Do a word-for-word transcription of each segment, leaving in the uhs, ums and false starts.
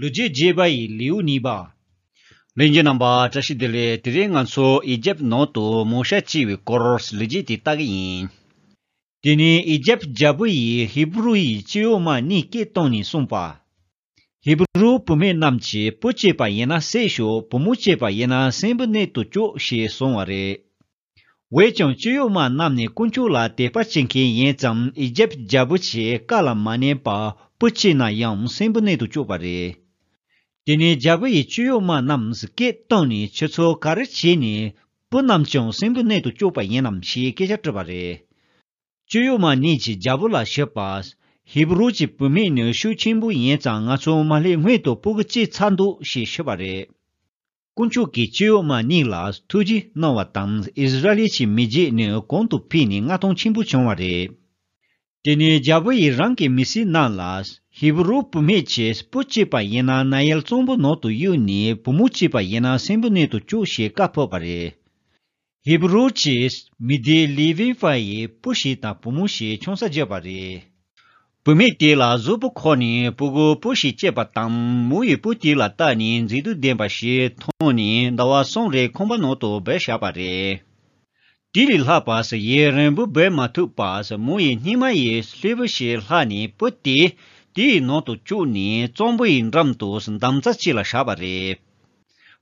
ལོ་རྒྱུས་རྒྱས་པ་ཡི་ལེའུ་གཉིས་པ། ལྷན་རྒྱས་རྣམ་པ་བཀྲ་ཤིས་བདེ་ལེགས། དེ་རིང་ང་ཚོ་ཨི་ཇེབ་ནང་དུ་མོ་ཤ་སྐྱེས་པའི་སྐོར་ལོ་རྒྱུས་དེ་ལྟ་གི་ཡིན། དེ་ནས་ཨི་ཇེབ་རྒྱལ་པོ་ཡིས་ཧི་བུ་རུ་ཡི་སྐྱེ་ཡོ་མ་གཉིས་སྐད་བཏང་ནས་གསུངས་པ། ཧི་བུ་རུ་བུད་མེད་རྣམས་ཀྱིས་བུ་སྐྱེས་པ་ཡིན་ན་བསད་ཤོག་བུ་མོ་སྐྱེས་པ་ཡིན་ན་གསོན་པོ་གནས་དུ་བཅུག་ཞེས་གསུངས་པ་རེད། འོན་ཀྱང་སྐྱེ་ཡོ་མ་རྣམས་ནི་དཀོན་མཆོག་ལ་དད་པ་བྱེད་མཁན་ཡིན་ཙང་ཨི་ཇེབ་རྒྱལ་པོ་ཆེའི་བཀའ་ལ་མ་ཉན་པར་བུ་སྐྱེས་ན་ཡང་གསོན་པོ་གནས་དུ་བཅུག་པ་རེད། དེ་ནས་རྒྱལ་པོ་ཡིས་སྐྱེ་ཡོ་མ་རྣམས་སྐད་བཏང་ནས་ཁྱེད་ཚོ་ག་རེ་བྱས་ནས་བུ་རྣམས་ཀྱང་གསོན་པོ་གནས་དུ་བཅུག་པ་ཡིན་ནམ་ཞེས་སྐད་ཆ་དྲིས་པ་རེད། སྐྱེ་ཡོ་མ་གཉིས་ཀྱིས་རྒྱལ་པོ་ལ་ཞུས་པ། ཧི་བུ་རུ་གྱི་བུད་མེད་ནི་ཤུགས་ཆེན་པོ་ཡིན་ཙང་ང་ཚོ་མ་སླེབས་སྔོན་དུ་སྤུ་གུ་སྐྱེས་ཚར་འདུག་ཞེས་ཞུས་པ་རེད། དཀོན་མཆོག་གིས་སྐྱེ་ཡོ་མ་གཉིས་ལ་ཐུགས་རྗེ་གནང་བ་དང་ཨིསི་ར་ཨེལ་གྱི་མི་རྒྱུད་ནི་གོང་དུ་འཕེལ་ནས་མངའ་ཐང་ཆེན་པོ་བྱུང་བ་རེད། དེ་ནས་རྒྱལ་པོ་ཡིས་རང་གི་མི་སེར་རྣམས་ལ་ཧི་བུ་རུ་བུད་མེད་ཀྱིས་བུ་སྐྱེས་པ་ཡིན་ན་ནཱ་ཡལ་གཙང་པོ་ནང་དུ་གཡུགས་ནས་བུ་མོ་སྐྱེས་པ་ཡིན་ན་གསོན་པོ་གནས་དུ་བཅུག་ཞེས་བཀའ་ཕབ་པ་རེད། ཧི་བུ་རུ་གྱི་མི་སྡེ་ལེ་ཝི་པ་ཡི་བུ་ཞིག་དང་བུ་མོ་ཞིག་ཆང་ས་བརྒྱབ་པ་རེད། བུད་མེད་དེ་ལ་གཟུགས་པོ་འཁོར་ནས་སྤུ་གུ་བུ་ཞིག་སྐྱེས་པ་དང་མོ་ཡིས་བུ་དེ་ལ་བལྟས་ནས་མཛེས་སྡུག་ལྡན་པ་ཞིག་མཐོང་ནས་ཟླ་བ་གསུམ་རིང་ཁང་པ་ནང་དུ་སྦས་བཞག་པ་རེད། དེ་ལས་ལྷག་པ་ཡུན་རིང་པོ་སྦས་མ་ཐུབ་པར་མོ་ཡིས་སྙེ་མ་ཡི་ལྷེབ་བུ་ཞིག་བླངས་ནས་བུ་དེ་དེའི་ནང་དུ་བཅུག་ནས་གཙང་པོ་ཡི་འགྲམ་དུ་འདམ་རྩྭ་ཅིག་ལ་བཞག་པ་རེད།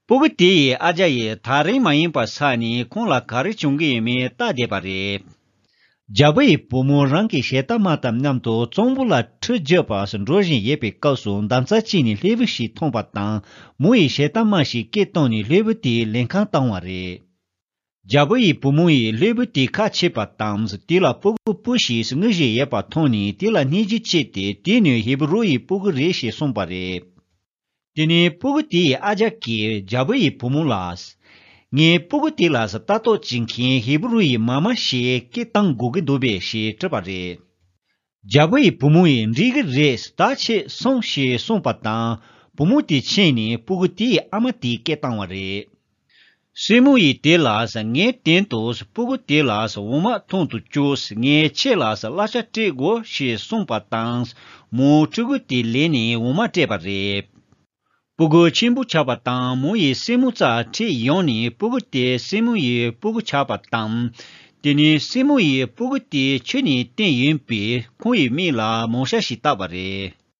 སྤུ་གུ་དེ་ཡི་ཨ་ཅག་ཡིས་ཐག་རིང་མ་ཡིན་པར་ཆགས་ནས་ཁོང་ལ་ག་རེ་བྱུང་གི་ཡོད་མེད་བལྟས་བསྡད་པ་རེད། རྒྱལ་པོ་ཡི་བུ་མོ་རང་གི་ཞལ་ཏ་མ་དང་མཉམ་དུ་གཙང་པོ་ལ་ཁྲུས་བརྒྱབ་པར་འགྲོ་བཞིན་ཡོད་པའི་སྐབས་སུ་འདམ་རྩྭ་ཅིག་ནས་ལྷེབ་བུ་ཞིག་མཐོང་པ་དང་མོ་ཡི་ཞལ་ཏ་མ་ཞིག་སྐད་བཏང་ནས་ལྷེབ་བུ་དེ་ལེན་གར་བཏང་བ་རེད། རྒྱལ་པོ་ཡི་བུ་མོ་ཡིས་ལྷེབ་བུ་དེ་ཁ་ཕྱེས་པ་དང་དེ་ལ་སྤུ་གུ་བུ་ཞིག་ངུ་བཞིན་ཡོད་པ་མཐོང་ནས་དེ་ལ་སྙིང་རྗེ་སྐྱེས་ཏེ་དེ་ནི་ཧི་བུ་རུ་ཡི་སྤུ་གུ་རེད་ཞེས་གསུངས་པ་རེད། དེ་ནས་སྤུ་གུ་དེ་ཡི་ཨ་ཅག་གིས་རྒྱལ་པོ་ཡི་བུ་མོ་ལ། ངའི་སྤུ་གུ་དེ་ལ་ལྟ་རྟོག་བྱེད་མཁན་ཧི་བུ་རུ་ཡི་མ་མ་ཞིག་སྐད་བཏང་དགོས་ཀྱི་འདུག་པས་ཞེས་དྲིས་པ་རེད། རྒྱལ་པོ་ཡི་བུ་མོ་ཡིས་འགྲིག་གི་རེད་ད་ཁྱེད་སོང་ཞེས་གསུངས་པ་དང་བུ་མོ་དེ་ཕྱིན་ནས་སྤུ་གུ་དེའི་ཨ་མ་དེའི་སྐད་བཏང་བ་རེད། སྲིང་མོ་ཡིས་དེ་ལ་ངས་དོན་དུ་སྤུ་གུ་དེ་ལ་འོ་མ་འཐུང་དུ་བཅུག་ངས་ཁྱེད་ལ་གླ་ཆ་སྤྲད་དགོས་ཞེས་གསུངས་པ་དང་མོ་ཕྲུ་གུ་དེ་ལེན་ནས་འོ་མ་སྤྲད་པ་རེད། སྤུ་གུ་ཆེན་པོ་ཆགས་པ་དང་མོ་ཡི་སྲིང་མོ་རྩར་ཁྲིད་ཡོང་ནས་སྤུ་གུ་དེ་སྲིང་མོ་ཡི་སྤུ་གུ་ཆགས་པ་དང་། དེ་ནས་སྲིང་མོ་ཡིས་སྤུ་གུ་དེ་ཆུ་ནས་བཏོན་ཡོད་པས་ཁོང་ཡི་མིང་ལ་མོ་ཤ་ཞེས་བཏགས་པ་རེད།